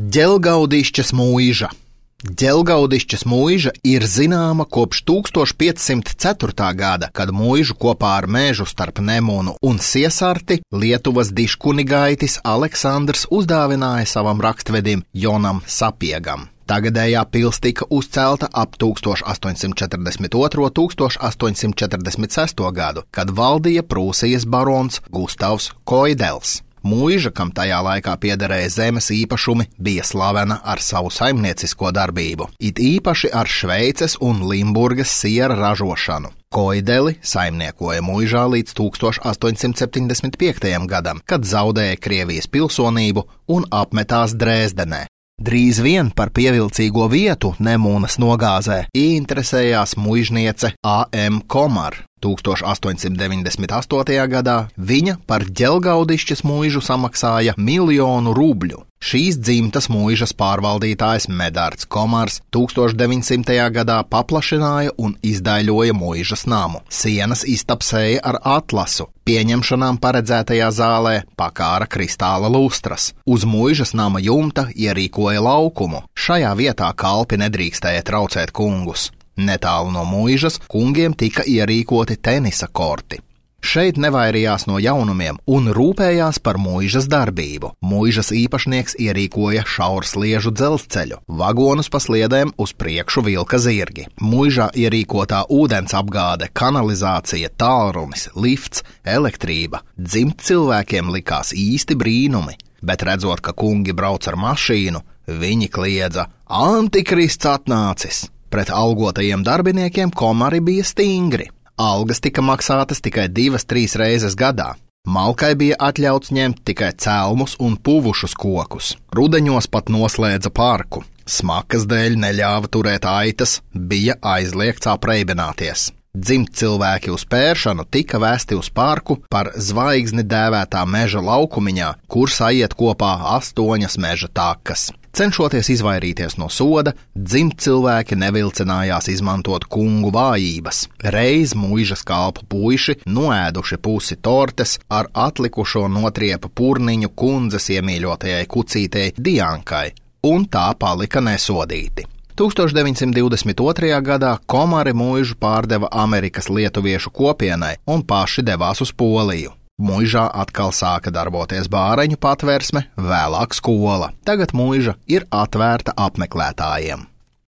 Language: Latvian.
Ģelgaudišķas mūiža. Ģelgaudišķas mūiža ir zināma kopš 1504. gada, kad mūižu kopā ar mežu starp Nemunu un Siesarti Lietuvas diškunigaitis Aleksandrs uzdāvināja savam rakstvedim Jonam Sapiegam. Tagadējā pils tika uzcelta ap 1842–1846. gadu, kad valdīja Prūsijas barons Gustavs Koidels. Mūiža, kam tajā laikā piederēja zemes īpašumi, bija slavena ar savu saimniecisko darbību, it īpaši ar Šveices un Limburgas siera ražošanu. Koideli saimniekoja mūižā līdz 1875. gadam, kad zaudēja Krievijas pilsonību un apmetās Dresdenē. Drīz vien par pievilcīgo vietu Nemunas nogāzē ieinteresējās muižniece A.M. Komar. 1898. gadā viņa par Ģelgaudišķas mūižu samaksāja 1 000 000 rubļu. Šīs dzimtas mūižas pārvaldītājs Medārds Komars 1900. gadā paplašināja un izdaļoja mūižas namu. Sienas iztapsēja ar atlasu, pieņemšanām paredzētajā zālē pakāra kristāla lustras. Uz mūižas nama jumta ierīkoja laukumu. Šajā vietā kalpi nedrīkstēja traucēt kungus. Netālu no mūižas kungiem tika ierīkoti tenisa korti. Šeit nevairījās no jaunumiem un rūpējās par mūižas darbību. Mūižas īpašnieks ierīkoja šaursliežu dzelzceļu, vagonus pa sliedēm uz priekšu vilka zirgi. Mūižā ierīkotā ūdens apgāde, kanalizācija, tālrunis, lifts, elektrība. Dzimt cilvēkiem likās īsti brīnumi, bet redzot, ka kungi brauc ar mašīnu, viņi kliedza: "Antikrists atnācis!" Pret algotajiem darbiniekiem Komari bija stingri. Algas tika maksātas tikai 2–3 reizes gadā. Malkai bija atļauts ņemt tikai celmus un puvušus kokus. Rudeņos pat noslēdza parku. Smakas dēļ neļāva turēt aitas, bija aizliegts apreibināties. Dzimt cilvēki uz pēršanu tika vēsti uz parku par zvaigzni dēvētā meža laukumiņā, kur saiet kopā 8 meža takas. Cenšoties izvairīties no soda, dzimt cilvēki nevilcinājās izmantot kungu vājības. Reiz mūižas kalpu puiši noēduši pusi tortes ar atlikušo notriepa purniņu kundzes iemīļotajai kucītei Diankai, un tā palika nesodīti. 1922. gadā Komari mūižu pārdeva Amerikas lietuviešu kopienai un paši devās uz Poliju. Mūižā atkal sāka darboties bāreņu patversme, vēlāk skola. Tagad mūiža ir atvērta apmeklētājiem.